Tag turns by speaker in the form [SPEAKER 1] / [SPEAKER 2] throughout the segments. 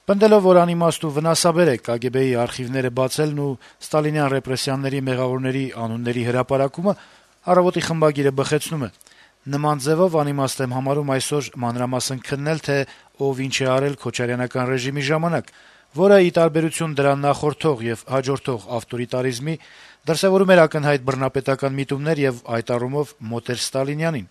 [SPEAKER 1] Պնդելով, որ անիմաստ ու վնասաբեր է ԿԳԲ-ի արխիվները բացելն ու ստալինյան ռեպրեսիաների մեղավորների անունների հրապարակումը, «Առավոտ»-ի խմբագիրը բխեցնում է. - «Նման ձեւով անիմաստ եմ համարում այսօր մանրամասն քննել, թե ով ինչ է արել քոչարյանական ռեժիմի ժամանակ, որը, ի տարբերություն դրան նախորդող եւ հաջորդող ավտորիտարիզմի, դրսեւորում էր ակնհայտ բռնապետական միտումներ եւ այդ առումով մոտ էր Ստալինյանին։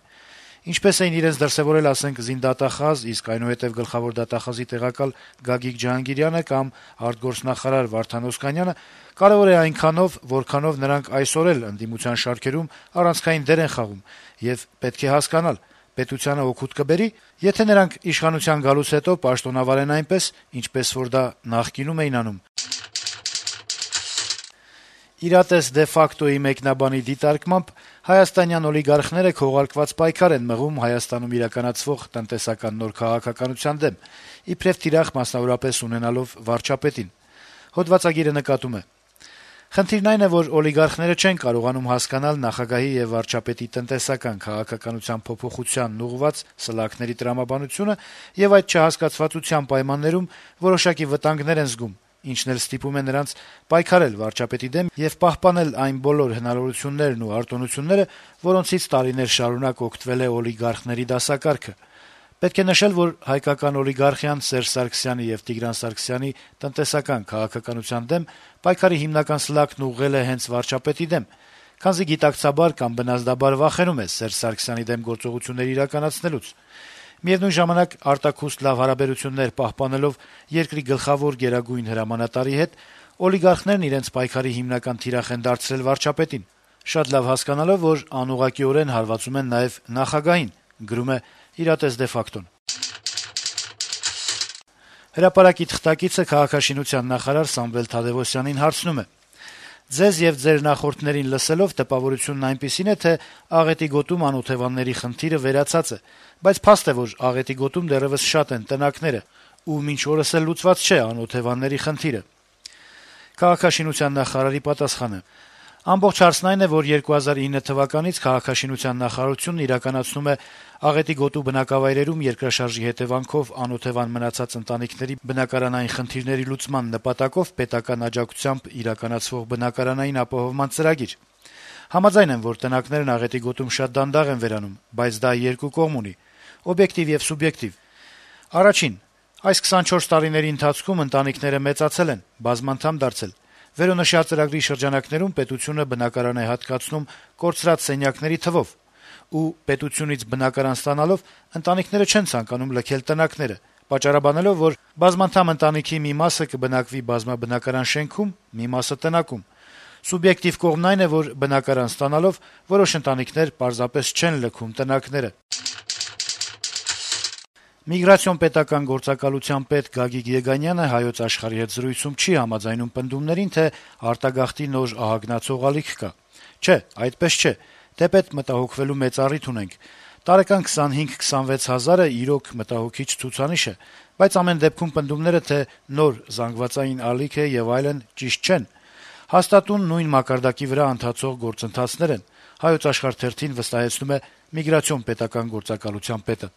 [SPEAKER 1] Ինչպես էին իրենց դրսեւորել, ասենք, զինդատախազ, իսկ այնուհետեւ գլխավոր դատախազի տեղակալ Գագիկ Ջհանգիրյանը կամ արտգործնախարար Վարդան Օսկանյանը, կարեւոր է այնքանով, որքանով նրանք այսօր էլ ընդդիմության շարքերում առանցքային դեր են խաղում, եւ պետք է հասկանալ՝ պետությանը օգուտ կբերի, եթե նրանք իշխանության գալուց հետո պաշտոնավարեն այնպես, ինչպես որ դա նախկինում էին անում»։ «Իրատես դե ֆակտո»-ի մեկնաբանի դիտարկմամբ հայաստանյան օլիգարխները քողարկված պայքար են մղում Հայաստանում իրականացվող տնտեսական նոր քաղաքականության դեմ, իբրեւ թիրախ մասնավորապես ունենալով վարչապետին։ Հոդվածագիրը նկատում է. - «Խնդիրն այն է, որ օլիգարխները չեն կարողանում հասկանալ նախագահի եւ վարչապետի տնտեսական քաղաքականության փոփոխությանն ուղղված սլաքների տրամաբանությունը եւ այդ չհասկացվածության պայմաններում որոշակի վտանգներ են զգում, ինչն էլ ստիպում է նրանց պայքարել վարչապետի դեմ եւ պահպանել այն բոլոր հնարավորություններն ու արտոնությունները, որոնցից տարիներ շարունակ օգտվել է օլիգարխների դասակարգը։ Պետք է նշել, որ հայկական օլիգարխիան Սերժ Սարգսյանի եւ Տիգրան Սարգսյանի տնտեսական քաղաքականության դեմ պայքարի հիմնական սլաքն ուղղել է հենց վարչապետի դեմ, քանզի գիտակցաբար կամ բնազդաբար վախենում է Սերժ Սարգսյանի դեմ գործողություններ իրականացնելուց։ Միևնույն ժամանակ, արտաքուստ լավ հարաբերություններ պահպանելով երկրի գլխավոր գերագույն հրամանատարի հետ, օլիգարխներն իրենց պայքարի հիմնական թիրախ են դարձրել վարչապետին, շատ լավ հասկանալով, որ անուղղակիորեն հարվածում են նաեւ նախագահին», գրում է «Իրատես դե ֆակտոն»։ Հրապարակի թղթակիցը քաղաքաշինության նախարար Սամվել Թադեւոսյանին հարցնում է. - «Ձեզ եւ ձեր նախորդներին լսելով տպավորությունն այնպիսին է, թե աղետի գոտում անօթեւանների խնդիրը վերացած է, բայց փաստ է, որ աղետի գոտում դեռեւս շատ են տնակները, ու մինչ օրս էլ լուծված չէ անօթեւանների խնդիրը»։ Քաղաքաշինության նախարարի պատասխանը. - «Ամբողջ հարցն այն է, որ 2009 թվականից քաղաքաշինության նախարարությունն իրականացնում է աղետի գոտու բնակավայրերում երկրաշարժի հետեւանքով անօթեւան մնացած ընտանիքների բնակարանային խնդիրների լուծման նպատակով պետական աջակցությամբ իրականացվող բնակարանային ապահովման ծրագիր։ Համաձայն եմ, որ տնակներն աղետի գոտում շատ դանդաղ են վերանում, բայց դա երկու կողմ ունի՝ օբյեկտիվ եւ սուբյեկտիվ։ Առաջին՝ այս 24 տարիների ընթացքում ընտանիքները մեծացել են, բազմանդամ դարձել։ Վերոնշյալ ծրագրի շրջանակներում պետությունը բնակարան է հատկացնում կորցրած սենյակների թվով, ու պետությունից բնակարան ստանալով ընտանիքները չեն ցանկանում լքել տնակները, պատճառաբանելով, որ բազմանդամ ընտանիքի մի մասը կբնակվի բազմաբնակարան շենքում, մի մասը տնակում։ Սուբյեկտիվ կողմն այն է, որ բնակարան ստանալով որոշ ընտանիքներ պարզապես չեն լքում տնակները»։ Միգրացիոն պետական գործակալության պետ Գագիկ Եգանյանը «Հայոց Աշխարհ»-ի հետ զրույցում չի համաձայնում պնդումներին, թե արտագաղթի նոր ահագնացող ալիք կա։ Չէ, այդպես չէ, թեպետ մտահոգվելու մեծ առիթ ունենք։ Տարեկան 25-26 հազարը իրոք մտահոգիչ ցուցանիշ է, բայց ամեն դեպքում պնդումները, թե նոր զանգվածային ալիք է եւ այլն, ճիշտ չեն։ Հաստատուն նույն մակարդակի վրա ընթացող գործընթացներ են, «Հայոց Աշխարհ» թերթին վստահեցնում է Միգրացիոն պետական գործակալության պետը։